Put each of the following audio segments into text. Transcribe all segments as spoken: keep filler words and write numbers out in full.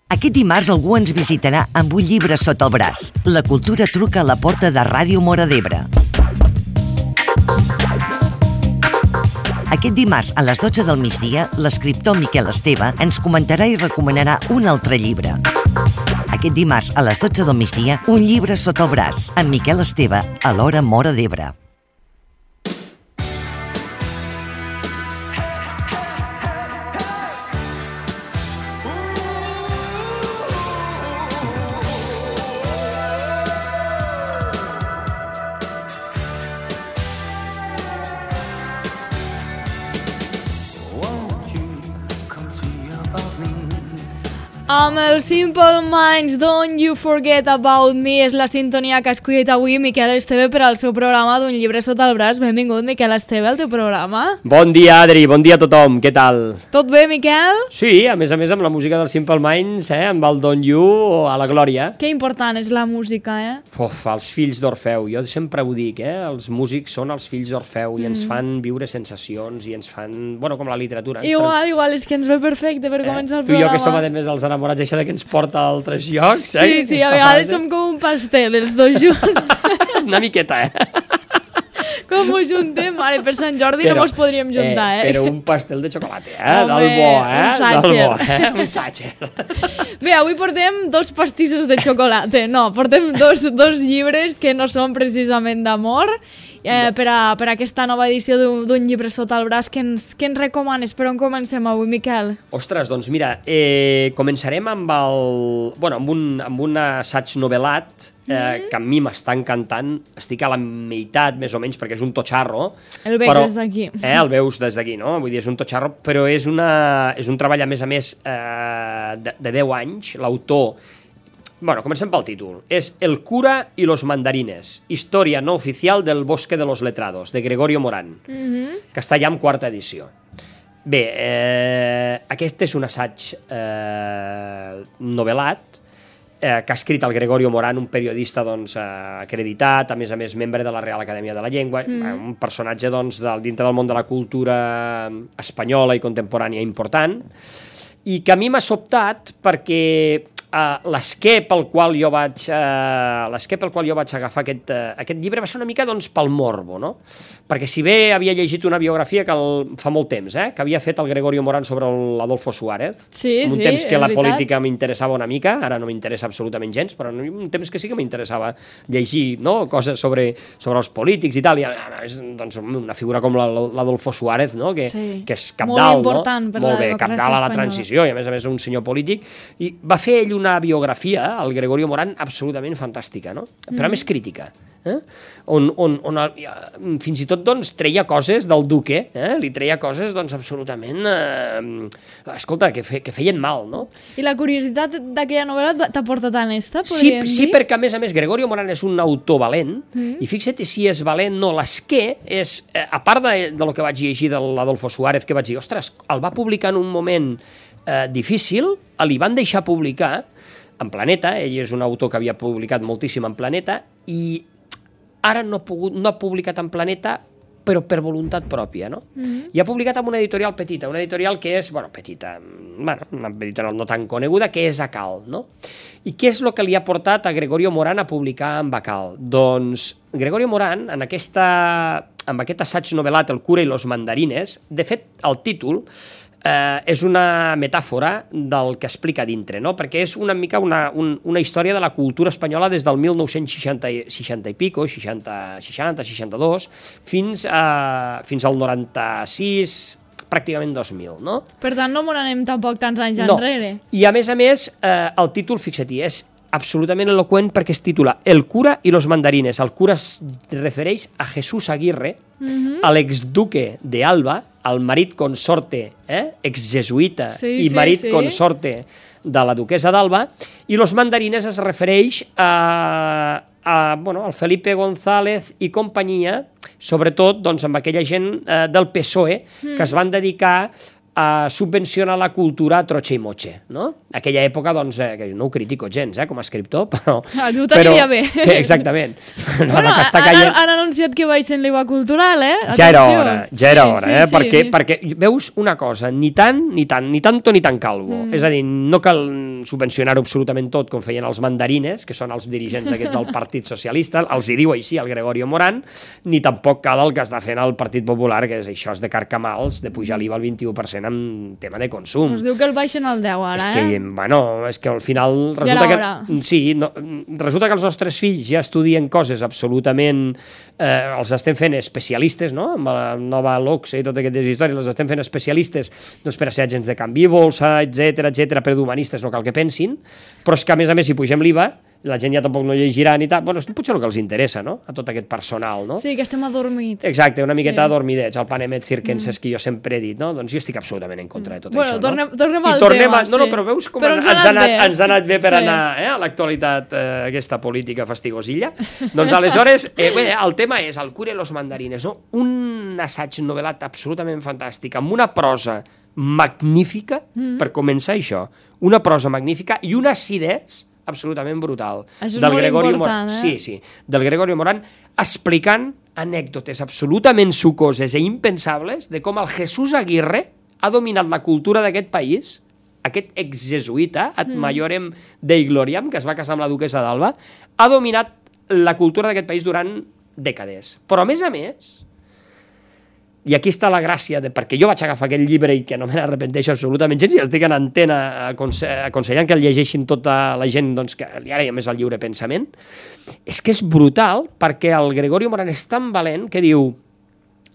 Aquest dimarts algú ens visitarà amb un llibre sota el braç. La cultura truca a la porta de Ràdio Móra d'Ebre. Aquest dimarts, a les dotze del migdia, l'escriptor Miquel Esteve ens comentarà i recomanarà un altre llibre. Aquest dimarts, a les dotze del migdia, un llibre sota el braç, amb Miquel Esteve, a l'Hora Móra d'Ebre. Amb el Simple Minds, Don't You Forget About Me, és la sintonia que ha escollit avui Miquel Esteve per al seu programa d'Un llibre sota el braç. Benvingut, Miquel Esteve, al teu programa. Bon dia, Adri, bon dia a tothom, què tal? Tot bé, Miquel? Sí, a més a més amb la música del Simple Minds, eh, amb el Don't You a la glòria. Que important és la música, eh? Uf, els fills d'Orfeu, jo sempre ho dic, eh, els músics són els fills d'Orfeu mm. i ens fan viure sensacions i ens fan, bueno, com la literatura. Igual, tra... igual, és que ens ve perfecte per eh? començar el tu programa. Tu i jo que som a més els enamorats, això de que ens porta a altres llocs, eh? Sí, sí, a vegades som com un pastel, els dos junts. Una miqueta, eh? Com ho juntem? Mare, per Sant Jordi però, no mos podríem juntar, eh? eh? Però un pastel de xocolata, eh? Home, del bo, eh? Un sàcher. Del bo, eh? Un sàcher. Bé, avui portem dos pastissos de xocolata. No, portem dos, dos llibres que no són precisament d'amor. Eh, per, a, per a aquesta nova edició d'un llibre sota el braç, que ens, que ens recomanes? Per on comencem avui, Miquel? Ostres, doncs mira, eh, començarem amb el... Bueno, amb un, amb un assaig novel·lat eh, mm. que a mi m'està encantant. Estic a la meitat, més o menys, perquè és un totxarro. El veus però, des d'aquí. Eh, el veus des d'aquí, no? Vull dir, és un totxarro, però és, una, és un treball, a més a més, eh, de, de deu anys. L'autor... Bueno, comencem pel títol. És El cura y los mandarines, història no oficial del bosque de los letrados, de Gregorio Morán, mm-hmm. que està ja en quarta edició. Bé, eh, aquest és un assaig eh, novel·lat eh, que ha escrit el Gregorio Morán, un periodista doncs, eh, acreditat, a més a més membre de la Real Acadèmia de la Llengua, mm. un personatge doncs, del, dintre del món de la cultura espanyola i contemporània important, i que a mi m'ha sobtat perquè... Uh, l'esquer pel qual jo vaig uh, l'esquer pel qual jo vaig agafar aquest, uh, aquest llibre va ser una mica doncs, pel morbo, no? Perquè si bé havia llegit una biografia que el, fa molt temps, eh, que havia fet el Gregorio Morán sobre l'Adolfo Suárez, sí, un sí, temps que la veritat. política m'interessava una mica, ara no m'interessa absolutament gens, però un temps que sí que m'interessava llegir, no? Coses sobre, sobre els polítics i tal, i és doncs, una figura com l'Adolfo Suárez, no? que, sí. que és cabdal, molt important no? per Molt la bé, cabdal a la transició, i a més a més un senyor polític, i va fer ell una biografia, el Gregorio Morán, absolutament fantàstica, no? Però a més crítica, eh? on, on, on el, fins i tot doncs, treia coses del duque, eh? Li treia coses doncs, absolutament, eh, escolta, que, fe, que feien mal, no? I la curiositat d'aquella novel·la t'ha portat tan esta, sí, podríem sí, dir? perquè a més a més Gregorio Morán és un autor valent, mm. i fixa't si és valent, no, l'esquer és, eh, a part de, de lo que vaig llegir de l'Adolfo Suárez, que vaig dir, ostres, el va publicar en un moment eh, difícil, li van deixar publicar en Planeta, ell és un autor que havia publicat moltíssim en Planeta, i ara no ha, pogut, no ha publicat en Planeta, però per voluntat pròpia, no? Mm-hmm. I ha publicat amb una editorial petita, una editorial que és, bueno, petita, bueno, una editorial no tan coneguda, que és Acal, no? I què és el que li ha portat a Gregorio Morán a publicar amb Acal? Doncs Gregorio Morán, en, aquesta, en aquest assaig novel·lat El cura i los mandarines, de fet, el títol Eh, és una metàfora del que explica dintre, no? Perquè és una mica una, un, una història de la cultura espanyola des del mil nou-cents seixanta, seixanta i pico, seixanta, seixanta, seixanta-dos, fins, a, fins al noranta-sis, pràcticament dos mil, no? Per tant, no m'on anem tampoc tants anys no. enrere. I a més a més, eh, el títol, fixa-t'hi, és absolutament eloqüent perquè es titula El cura i los mandarines. El cura es refereix a Jesús Aguirre, mm-hmm. a l'exduque de Alba, el marit consorte, eh? exjesuïta sí, i marit sí, sí. consorte de la duquesa d'Alba, i los mandarines es refereix a, a bueno, al Felipe González i companyia, sobretot doncs, amb aquella gent eh, del P S O E mm. que es van dedicar a subvencionar la cultura a troche i moche, no? Aquella època, doncs, eh, que no ho critico gens, eh, com a escriptor, però... Ah, tu t'aniria bé. Que, exactament. No, bueno, que està caient... han anunciat que baixen l'I V A cultural, eh? Atenció. Ja era hora, ja era hora, sí, eh? Sí, perquè, sí. perquè veus una cosa, ni tant, ni tant, ni tanto, ni tan calvo. Mm. És a dir, no cal... subvencionar-ho absolutament tot, com feien els mandarines, que són els dirigents aquests del Partit Socialista, els hi diu així el Gregorio Morán, ni tampoc cal el que està fent el Partit Popular, que és això, és de carcamals, de pujar l'I V A al vint-i-u per cent en tema de consum. Us diu que el baixen al deu ara, és que, eh? Bueno, és que al final resulta que, sí, no, resulta que els nostres fills ja estudien coses absolutament, eh, els estem fent especialistes, no? Amb la nova l'Ocse i totes aquestes històries, els estem fent especialistes doncs, per a ser agents de canvi i bolsa, etcètera, etcètera, per d'humanistes no cal que pensin, però és que a més a més si pugem l'I V A, la gent ja tampoc no llegirà ni tal, bueno, és potser el que els interessa, no?, a tot aquest personal, no? Sí, que estem adormits. Exacte, una miqueta sí. adormidets, el panem et circenses mm. que jo sempre he dit, no? Doncs jo estic absolutament en contra de tot bueno, això, tornem, no? tornem al tornem tema, a... No, no, sí. però veus com però ens, ens, ens, ha anat, bé, ens ha anat bé per sí. anar eh, a l'actualitat, eh, aquesta política fastigosilla. Doncs aleshores, eh, bé, el tema és el Cura i los mandarines, no? Un assaig novel·lat absolutament fantàstic, amb una prosa magnífica, mm. per començar això, una prosa magnífica i una acidesa absolutament brutal. Això és del molt Gregorio important, Morán, eh? sí, sí, del Gregorio Morán, explicant anècdotes absolutament sucoses i impensables de com el Jesús Aguirre ha dominat la cultura d'aquest país, aquest exjesuïta, ad maiorem Dei Gloriam, que es va casar amb la duquessa d'Alba, ha dominat la cultura d'aquest país durant dècades. Però, a més a més, i aquí està la gràcia, de, perquè jo vaig agafar aquell llibre i que no me n'arrepenteixo absolutament gens, i estic en antena aconse aconsellant que el llegeixin tota la gent doncs, que li agrada més el lliure pensament, és que és brutal perquè el Gregorio Morán és tan valent que diu,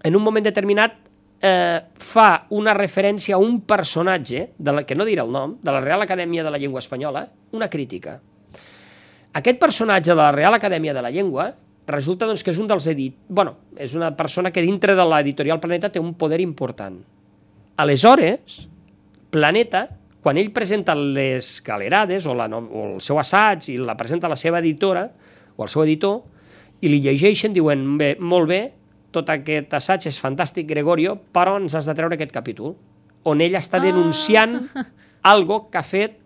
en un moment determinat, eh, fa una referència a un personatge, de la, que no diré el nom, de la Real Acadèmia de la Llengua Espanyola, una crítica. Aquest personatge de la Real Acadèmia de la Llengua resulta doncs, que és un dels edit... bueno, és una persona que dintre de l'editorial Planeta té un poder important. Aleshores, Planeta, quan ell presenta les galerades o, la, o el seu assaig i la presenta a la seva editora o al seu editor i li llegeixen, diuen, bé, molt bé, tot aquest assaig és fantàstic, Gregorio, però ens has de treure aquest capítol, on ell està denunciant ah. algo que ha fet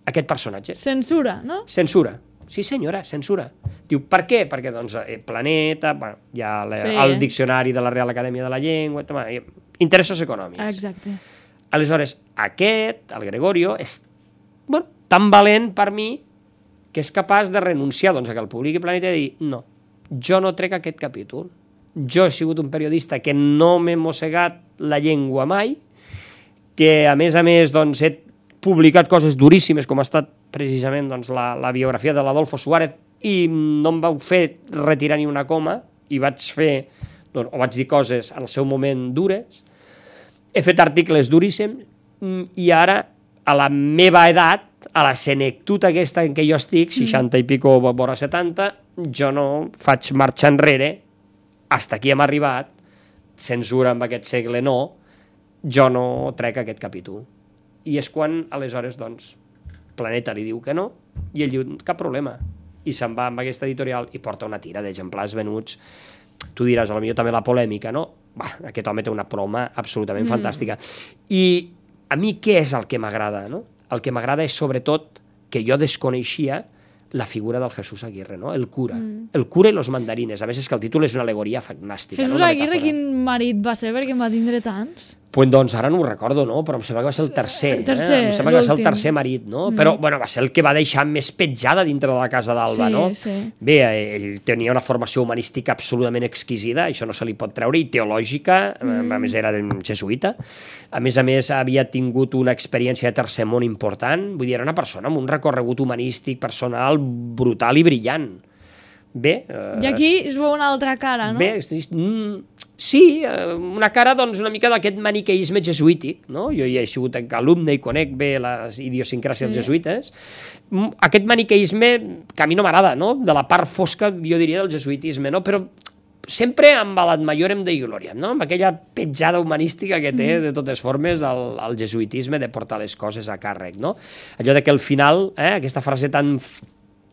aquest personatge. Censura, no? Censura. Sí, senyora, censura. Diu, per què? Perquè, doncs, eh, Planeta, bueno, hi ha la, sí. el diccionari de la Real Acadèmia de la Llengua, toma, interessos econòmics. Exacte. Aleshores, aquest, el Gregorio, és bueno, tan valent per mi que és capaç de renunciar doncs, a que el publiqui Planeta i dir, no, jo no trec aquest capítol. Jo he sigut un periodista que no m'he mossegat la llengua mai, que, a més a més, doncs, he publicat coses duríssimes, com ha estat precisament doncs, la, la biografia de l'Adolfo Suárez, i no em vau fer retirar ni una coma, i vaig fer, doncs, o vaig dir coses en el seu moment dures, he fet articles duríssims, i ara, a la meva edat, a la senectut aquesta en què jo estic, seixanta i pico, vora setanta, jo no faig marxa enrere, hasta aquí hem arribat, censura en aquest segle no, jo no trec aquest capítol. I és quan, aleshores, doncs, Planeta li diu que no, i ell diu, cap problema. I se'n va amb aquesta editorial i porta una tira d'exemplars venuts. Tu diràs, potser també la polèmica, no? Bah, aquest home té una proma absolutament mm. fantàstica. I a mi què és el que m'agrada, no? El que m'agrada és, sobretot, que jo desconeixia la figura del Jesús Aguirre, no? El cura. Mm. El cura i los mandarines. A més, és que el títol és una alegoria fantàstica. Jesús no? Aguirre, quin marit va ser? Perquè em va tindre tants. Pues doncs ara no ho recordo, no? Però em sembla que va ser el tercer. El tercer, eh? Em sembla que va ser el tercer marit, no? Mm. Però, bueno, va ser el que va deixar més petjada dintre de la casa d'Alba, sí, no? Sí. Bé, ell tenia una formació humanística absolutament exquisida, això no se li pot treure, i teològica, mm. a més era jesuïta. A més a més, havia tingut una experiència de tercer món important, vull dir, era una persona amb un recorregut humanístic personal brutal i brillant. Bé... Eh, I aquí es veu una altra cara, no? Bé, sí, una cara doncs, una mica d'aquest maniqueisme jesuític, no? Jo hi he sigut alumne i conec bé les idiosincràcies sí. jesuïtes. Aquest maniqueisme que a mi no m'agrada, no? De la part fosca, jo diria, del jesuïtisme, no? Però sempre amb l'ad maiorem Dei Gloriam, no? Amb aquella petjada humanística que té, de totes formes, el, el jesuïtisme de portar les coses a càrrec, no? Allò de que al final, eh, aquesta frase tan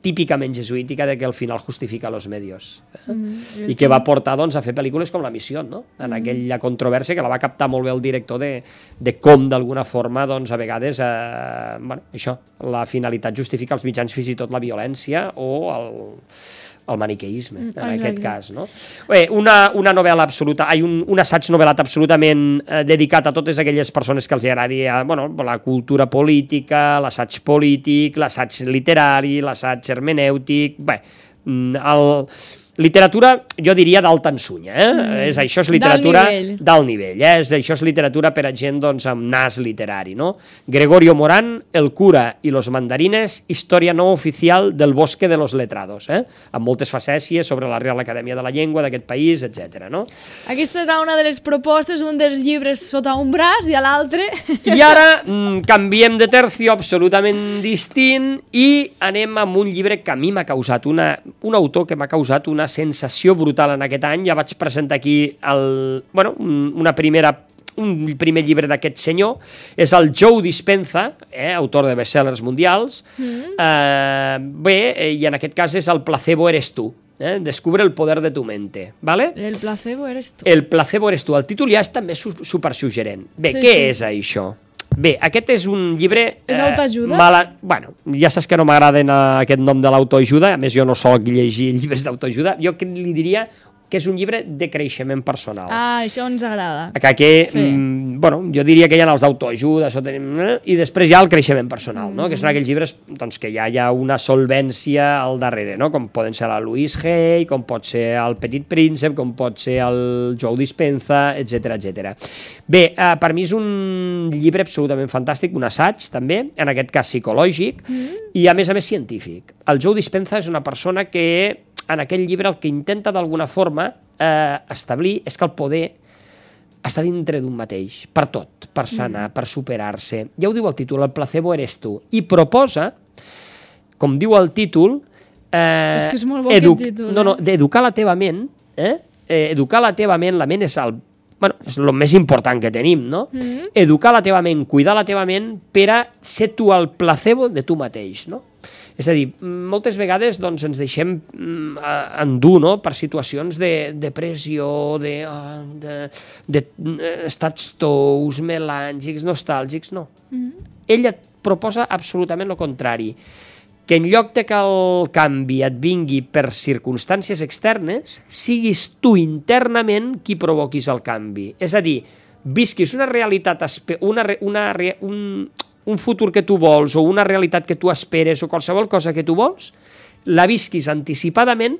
típicament jesuítica de que al final justifica los medios. Eh? Mm, I que va portar doncs, a fer pel·lícules com La Missió, no? En mm. aquella controvèrsia que la va captar molt bé el director de, de com d'alguna forma doncs, a vegades eh, bueno, això, la finalitat justifica els mitjans, fins i tot la violència o el, el maniqueisme, mm, en aquest cas. No? Bé, una, una novel·la absoluta, hi ha un, un assaig novel·lat absolutament eh, dedicat a totes aquelles persones que els agradi eh, bueno, la cultura política, l'assaig polític, l'assaig literari, l'assaig hermenèutic, bé, el, literatura, jo diria d'alta ensunya, eh? Mm. És, això és literatura d'alt nivell, eh? És, això és literatura per a gent doncs, amb nas literari, no? Gregorio Morán, El cura i los mandarines, història no oficial del bosque de los letrados, eh? Amb moltes facècies sobre la Real Acadèmia de la Llengua d'aquest país, etcètera. No? Aquesta serà una de les propostes, un dels llibres sota un braç i a l'altre. I ara mm, canviem de tercio absolutament distint i anem amb un llibre que a mi m'ha causat una, un autor que m'ha causat una sensació brutal en aquest any. Ja vaig presentar aquí el, bueno, una primera, un primer llibre d'aquest senyor, és el Joe Dispenza, eh, autor de bestsellers mundials. Mm. Eh, bé, i en aquest cas és El placebo eres tu. Eh? Descubre el poder de tu mente. ¿Vale? El placebo eres tu. El placebo eres tu. El títol ja és també supersuggerent. Bé, sí, què sí. és això? Bé, aquest és un llibre... És eh, autoajuda? Mala... Bueno, ja saps que no m'agraden aquest nom de l'autoajuda, a més jo no soc llegir llibres d'autoajuda, jo li diria que és un llibre de creixement personal. Ah, això ens agrada. Que, sí. mm, bueno, jo diria que hi ha els d'autoajuda, això tenim, eh? I després hi ha el creixement personal, mm. no? Que són aquells llibres doncs, que ja hi ha una solvència al darrere, no? Com poden ser la Louise Hay, com pot ser el Petit Príncep, com pot ser el Joe Dispenza, etcètera, etcètera. Bé, eh, per mi és un llibre absolutament fantàstic, un assaig també, en aquest cas psicològic, mm. i a més a més científic. El Joe Dispenza és una persona que en aquell llibre el que intenta d'alguna forma eh, establir és que el poder està dintre d'un mateix, per tot, per sanar, mm. per superar-se. Ja ho diu el títol, el placebo eres tu. I proposa, com diu el títol, eh, és que és molt bo edu- títol, eh? no, no, d'educar la teva ment, eh? Eh, educar la teva ment, la ment és el, bueno, és el més important que tenim, no? Mm. Educar la teva ment, cuidar la teva ment per a ser tu el placebo de tu mateix, no? És a dir, moltes vegades doncs, ens deixem mm, endur no? per situacions de depressió, de, oh, de, de, de estats tous, melàngics, nostàlgics, no. Mm-hmm. Ella et proposa absolutament el contrari, que en lloc de que el canvi et vingui per circumstàncies externes, siguis tu internament qui provoquis el canvi. És a dir, visquis una realitat, una, una, un, un futur que tu vols o una realitat que tu esperes o qualsevol cosa que tu vols, la visquis anticipadament,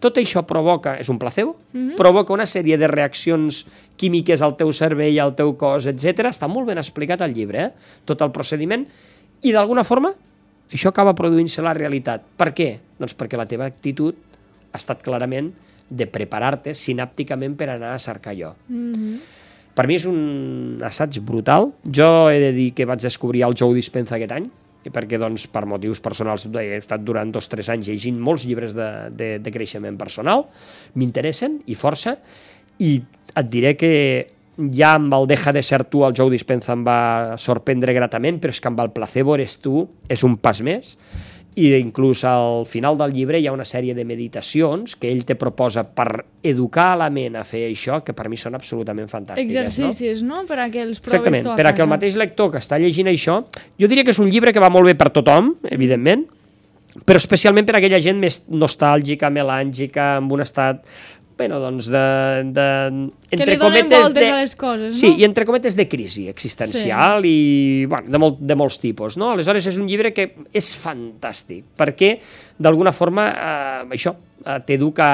tot això provoca, és un placebo, mm-hmm. provoca una sèrie de reaccions químiques al teu cervell, al teu cos, etcètera. Està molt ben explicat al llibre, eh? Tot el procediment, i d'alguna forma això acaba produint-se la realitat. Per què? Doncs perquè la teva actitud ha estat clarament de preparar-te sinàpticament per anar a cercar allò. Mm-hmm. Per mi és un assaig brutal. Jo he de dir que vaig descobrir el Joe Dispenza aquest any, perquè doncs, per motius personals he estat durant dos o tres anys llegint molts llibres de, de, de creixement personal, m'interessen i força, i et diré que ja amb el Deja de ser tu el Joe Dispenza em va sorprendre gratament, però és que amb el placebo eres tu és un pas més, i inclús al final del llibre hi ha una sèrie de meditacions que ell te proposa per educar la ment a fer això, que per mi són absolutament fantàstiques. Exercicis, no? no? Per a que els provis Exactament, tu a per a casa. que el mateix lector que està llegint això, jo diria que és un llibre que va molt bé per tothom, evidentment, però especialment per a aquella gent més nostàlgica, melàngica, amb un estat... Bueno, doncs de... de entre que li donen voltes de, a les coses, no? Sí, i entre cometes de crisi existencial sí. i bueno, de, molt, de molts tipus, no? Aleshores és un llibre que és fantàstic, perquè d'alguna forma eh, això eh, t'educa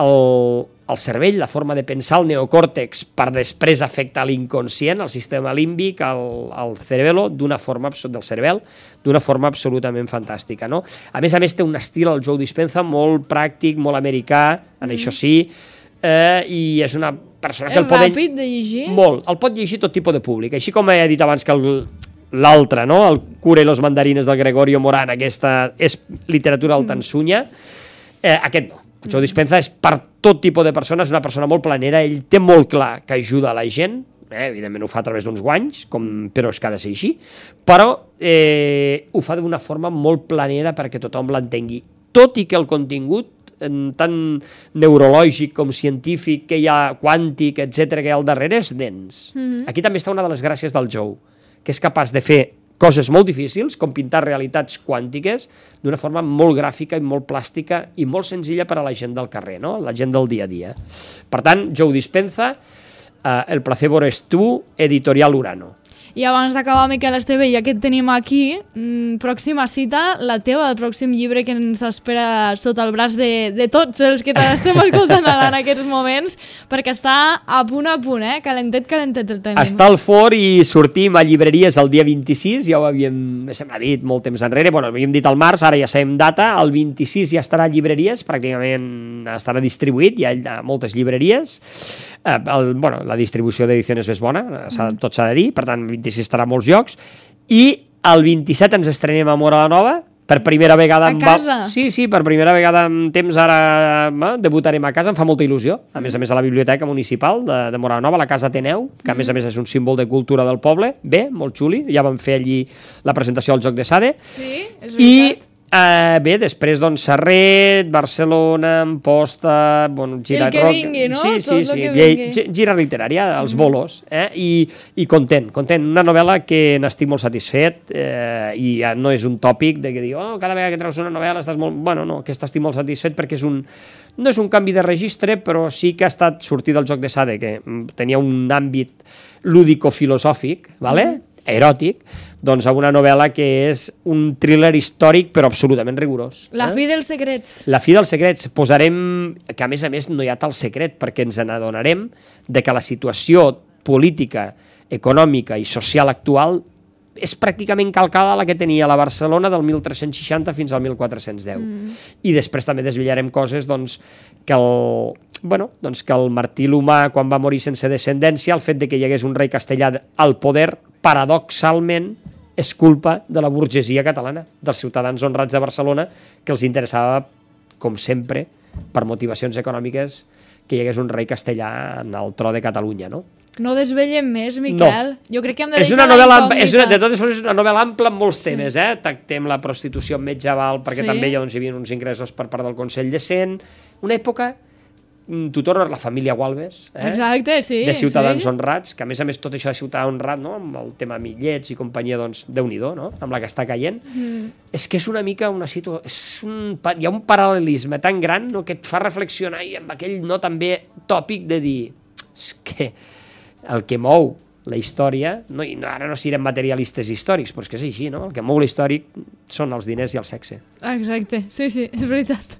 el, el cervell, la forma de pensar, el neocòrtex, per després afectar l'inconscient, el sistema límbic, el, el cerebelo, d'una forma del cervell, d'una forma absolutament fantàstica, no? A més a més té un estil, el Joe Dispenza, molt pràctic, molt americà, en mm. això sí, eh, i és una persona que és el pot... És ràpid de llegir? Molt, el pot llegir tot tipus de públic, així com he dit abans que el... l'altre, no? El cura i los mandarines del Gregorio Morán, aquesta és literatura altansunya, eh, aquest no. El Joe Dispenza és per tot tipus de persones, una persona molt planera, ell té molt clar que ajuda a la gent, eh? Evidentment ho fa a través d'uns guanys, com, però és que ha de ser així, però eh, ho fa d'una forma molt planera perquè tothom l'entengui, tot i que el contingut tant neurològic com científic que hi ha, quàntic, etcètera, que hi ha al darrere, és dens. Mm-hmm. Aquí també està una de les gràcies del Joe, que és capaç de fer coses molt difícils, com pintar realitats quàntiques, d'una forma molt gràfica i molt plàstica i molt senzilla per a la gent del carrer, no? La gent del dia a dia. Per tant, Joe Dispenza, eh, El placebo eres tu, Editorial Urano. I abans d'acabar, Miquel Esteve, ja que et tenim aquí, mmm, pròxima cita, la teva, el pròxim llibre que ens espera sota el braç de, de tots els que t'estem escoltant ara en aquests moments, perquè està a punt a punt, eh? Calentet, calentet el tenim. Està al forn i sortim a llibreries el dia vint-i-sis, ja ho havíem, se m'ha dit molt temps enrere, bueno, havíem dit al març, ara ja sabem data, el vint-i-sis ja estarà a llibreries, pràcticament estarà distribuït, hi ha moltes llibreries, eh, el, bueno, la distribució d'edicions és bona, mm. tot s'ha de dir, per tant, vint-i-sis estarà a molts llocs, i el vint-i-set ens estrenem a Móra la Nova, per primera vegada... A casa? Va... Sí, sí, per primera vegada en temps ara eh, debutarem a casa, em fa molta il·lusió, a més a més a la Biblioteca Municipal de, de Móra la Nova, la Casa Ateneu, que a més a més és un símbol de cultura del poble, bé, molt xuli, ja vam fer allí la presentació al Joc de Sade, sí, és i Uh, bé, després, doncs, Serret, Barcelona, Amposta, bueno, Gira... El que rock, vingui, no? Sí, sí, Tot sí, sí. Gira literària, els bolos, eh? I, i content, content. Una novel·la que n'estic molt satisfet, eh, i ja no és un tòpic de que diu, oh, cada vegada que treus una novel·la estàs molt... Bueno, no, que estic molt satisfet perquè és un... No és un canvi de registre, però sí que ha estat sortir del Joc de Sade, que tenia un àmbit lúdico-filosòfic, vale? Mm. eròtic, doncs a una novel·la que és un thriller històric però absolutament rigorós. La eh? fi dels secrets. La fi dels secrets. Posarem, que a més a més no hi ha tal secret, perquè ens n'adonarem de que la situació política, econòmica i social actual és pràcticament calcada a la que tenia la Barcelona del mil tres-cents seixanta fins al mil quatre-cents deu. Mm. I després també desvetllarem coses doncs, que el... Bueno, doncs que el Martí l'Humà, quan va morir sense descendència, el fet de que hi hagués un rei castellà al poder, paradoxalment, és culpa de la burgesia catalana, dels ciutadans honrats de Barcelona, que els interessava, com sempre, per motivacions econòmiques, que hi hagués un rei castellà en el tro de Catalunya, no? No desvellem més, Miquel. No. Jo crec que hem de és deixar una la novel·la, incògnita. és una, de totes formes, és una novel·la ampla en molts temes, eh? Tractem la prostitució medieval, perquè sí. també hi, doncs, hi havia uns ingressos per part del Consell de Cent. Una època... Tu tornes la família Gualbes, eh? Exacte, sí, de ciutadans sí. honrats, que a més a més tot això de ciutadà honrat, no? Amb el tema Millets i companyia, doncs, Déu-n'hi-do, no? Amb la que està caient. Mm. És que és una mica una situació... Un, hi ha un paral·lelisme tan gran, no? Que et fa reflexionar i amb aquell no també tòpic de dir és que el que mou la història, no, i no, ara no siguem materialistes històrics, però és que és així, no? El que mou l'històric són els diners i el sexe. Exacte, sí, sí, és veritat.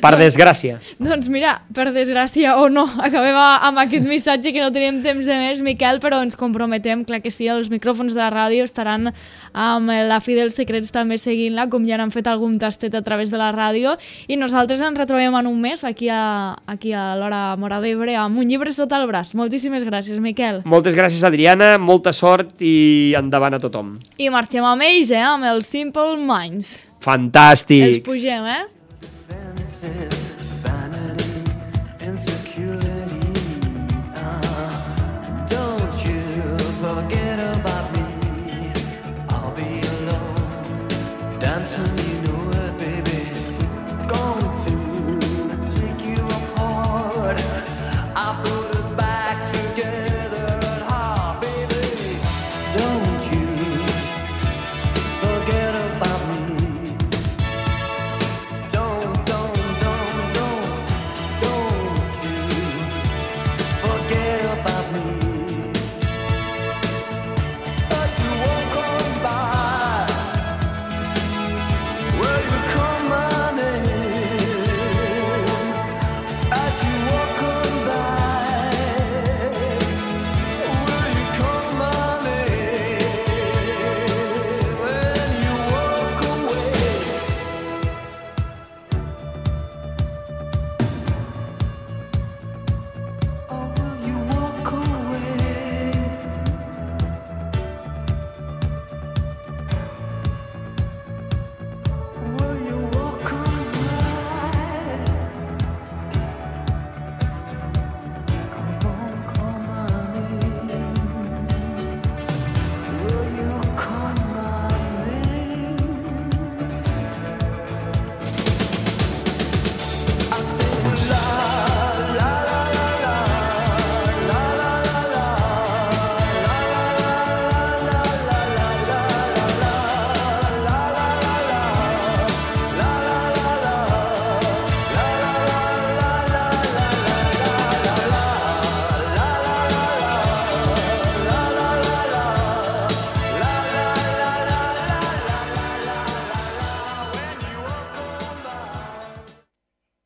Per desgràcia. Doncs mira, per desgràcia o no, acabem amb aquest missatge que no tenim temps de més, Miquel, però ens comprometem, clar que sí, els micròfons de la ràdio estaran amb la fi dels secrets també seguint-la, com ja n'han fet algun tastet a través de la ràdio, i nosaltres ens retrobem en un mes aquí a, aquí a l'Hora Móra d'Ebre amb un llibre sota el braç. Moltíssimes gràcies, Miquel. Moltes gràcies, Adriana, molta sort i endavant a tothom. I marxem amb ells, eh, amb els Simple Minds. Fantàstics. Els pugem, eh? Forget about me, I'll be alone, dancing